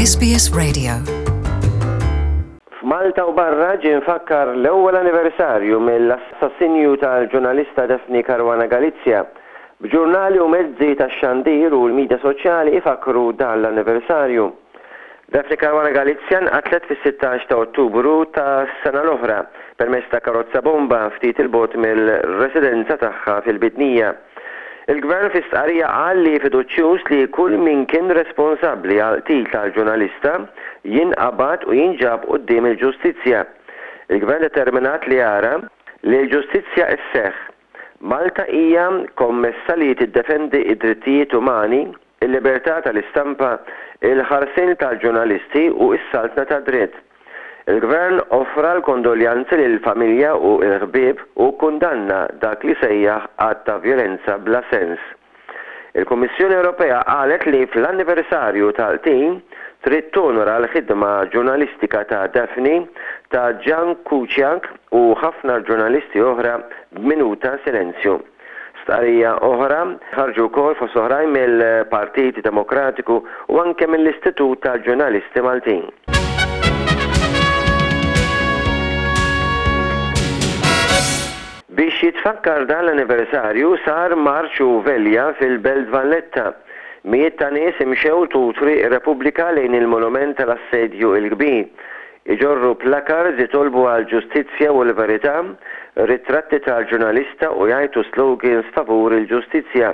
SBS Radio. F'Malta u barra ġie mfakkar l-ewwel anniversarju mill-assassinju tal-ġurnalista Daphne Caruana Galizia, b'ġurnali u mezzi tax-xandir u l-midja soċjali ifakkru dan l-anniversarju. Daphne Caruana Galizia nqatlet fis-16 ta' Ottubru tas-sena l-oħra permezz ta' karozza bomba ftit 'il bogħod mill-residenza tagħha fil-Bidnija. Il-Gvern fi stqarrija qal li fiduċjuż li kull min kien responsabbli għall-qtil tal-ġurnalista jinqabad u jinġab quddiem il-ġustizzja. Il-Gvern determinat li jara li l-ġustizzja sseħħ. Malta hija kommessa li tiddefendi d-drittijiet umani, il-libertà tal-istampa, il-ħarsien tal-ġurnalisti u s-saltna tad-dritt. Il-Gvern offra l-kondoljanzi lill-familja u l-ħbieb u kkundanna dak li sejjaħ att ta' vjolenza bla sens. Il-Kummissjoni Ewropea qalet li fl-anniversarju tal-qtil trid tonora l-ħidma ġurnalistika ta' Daphne, ta' Jan Kuciak u ħafna ġurnalisti oħra b'minuta silenzju. Stqarrija oħra ħarġu wkoll fost oħrajn mill-Partit Demokratiku u anke mill-Istitut tal-Ġurnalisti Maltin. Biex jitfakkar dan l-anniversarju sar marċ u velja fil-Belt Valletta. Mijiet ta' nies imxew tul Triq ir-Repubblika lejn il-Monument tal-Assedju l-Kbir. Iġorru placards jitolbu għall-ġustizzja u l-verità, ritratti tal-ġurnalista u jgħajtu slogans favur il-ġustizzja.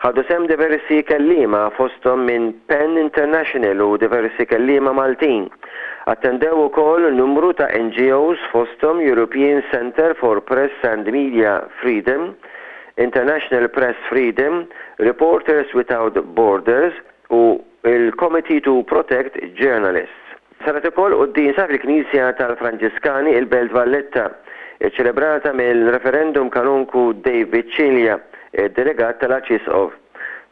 Ħadu sehem diversi kelliema fosthom minn pen International u diversi kelliema Maltin. Attendew ukoll numru ta' NGOs fosthom European Centre for Press and Media Freedom, International Press Freedom, Reporters Without Borders, u l-Committee to Protect Journalists. Saret ukoll quddiesa fil-Knisja tal-Franġiskani il-Belt Valletta, iċċelebrata mill-Referendum Kanonku David Cilia, id-Delegat tal-Arċisqof.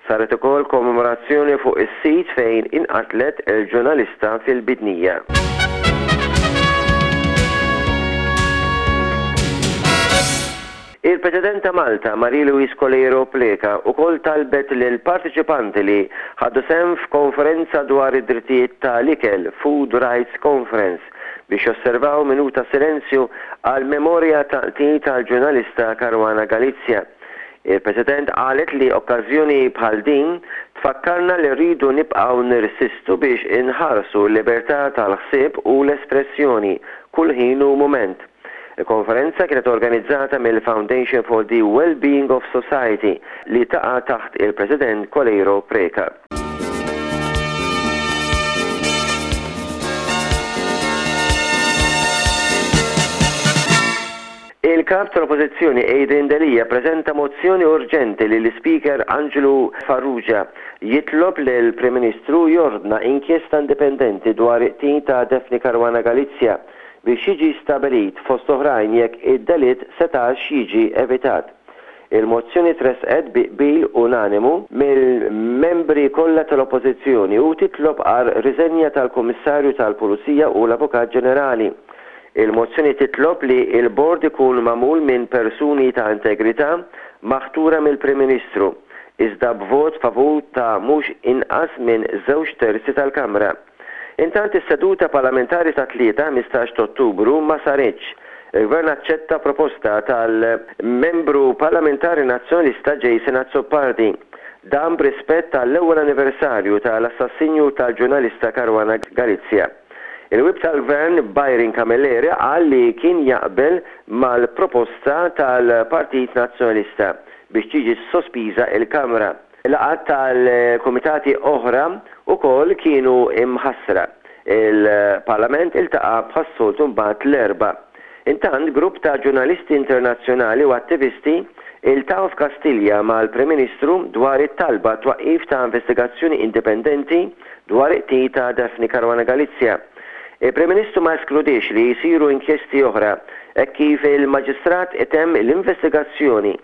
Saret ukoll kommemorazzjoni fuq is-sit fejn inqatlet il-ġurnalista fil-Bidnija. Il-President ta' Malta, Marie Louise Coleiro Preca, ukoll talbet lill-parteċipanti li ħadu sehem f'konferenza dwar id-drittijiet ta' l-ikel, Food Rights Conference, biex josservaw minuta silenzju għall-memorja tal-qtil tal-ġurnalista Caruana Galizia. Il-President qalet li okkażjoni bħal din tfakkarna li rridu nibqgħu nirsistu biex inħarsu l-libertà tal-ħsieb u l-espressjoni kull ħin u mument. Il-konferenza kienet organizzata mill-Foundation for the Well-Being of Society li taqa' taħt il-President Coleiro Preca. Il-Kap tal-Oppożizzjoni Adrian Delia ppreżenta mozzjoni urġenti lill-Ispeaker Anġlu Farrugia jitlob lill-Prim Ministru jordna inkjesta indipendenti dwar il-qtil ta' Daphne Caruana Galizia biex jiġi stabbilit, fost oħrajn, jekk id-delitt setax jiġi evitat. Il-mozzjoni tressqet bi qbil unanimu mill-membri kollha tal-Oppożizzjoni u titlob għar-riżenja tal-Kummissarju tal-Pulizija u l-Avukat Ġenerali. Il-mozzjoni titlob li l-bord ikun magħmul minn persuni ta' integrità maħtura mill-Prim Ministru, iżda b'vot favur ta' mhux inqas minn żewġ terzi tal-Kamra. Intant is-seduta parlamentari tat-Tlieta, 15 t'Ottubru, ma saritx. Il-Gvern aċċetta proposta tal-Membru Parlamentari Nazzjonalista Jason Azzopardi. Dan b'rispett għall-ewwel anniversarju tal-assassinju tal-ġurnalista Caruana Galizia. Il-Whip tal-Gvern Byron Camilleri qal li kien jaqbel mal-proposta tal-Partit Nazzjonalista biex tiġi sospiża l-Kamra. Laqgħat tal-kumitati oħra wkoll kienu imħassra. Il-Parlament iltaqa' bħas-soltu mbagħad l-Erbgħa. Intant, grupp ta' ġurnalisti internazzjonali u attivisti iltaqgħu f'Kastilja mal-Prim Ministru dwar it-talba għat-twaqqif ta' investigazzjoni indipendenti dwar il-qtil ta' Daphne Caruana Galizia. Il-Prim Ministru ma eskludiex li jsiru inkjesti oħra hekk kif il-Maġistrat itemm l-investigazzjoni.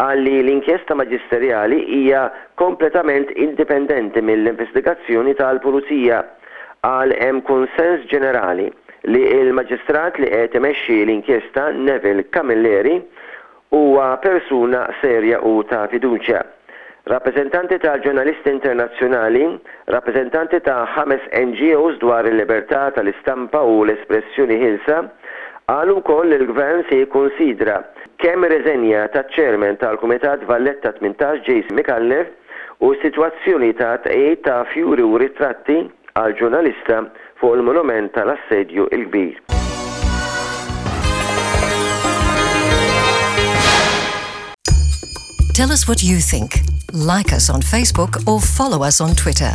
Qal li l-inkjesta maġisterjali hija kompletament indipendenti mill-investigazzjoni tal-Pulizija. Qal hemm kunsens ġenerali li l-Maġistrat li qed imexxi l-inkjesta Neville Camilleri huwa persuna serja u ta' fiduċja. Rappreżentanti ta' ġurnalisti internazzjonali, rappreżentanti ta' ħames NGOs dwar il-libertà tal-istampa u l-espressjoni ħielsa, qalu wkoll li l-Gvern se jikkunsidra kemm ir-riżenja taċ-Chairman tal-Kumitat Valletta 18 Jason Micallef u s-sitwazzjoni ta' tqegħid ta' fjuri u ritratti għall-ġurnalista fuq il-monument tal-Assedju l-Kbir. Tell us what you think. Like us on Facebook or follow us on Twitter.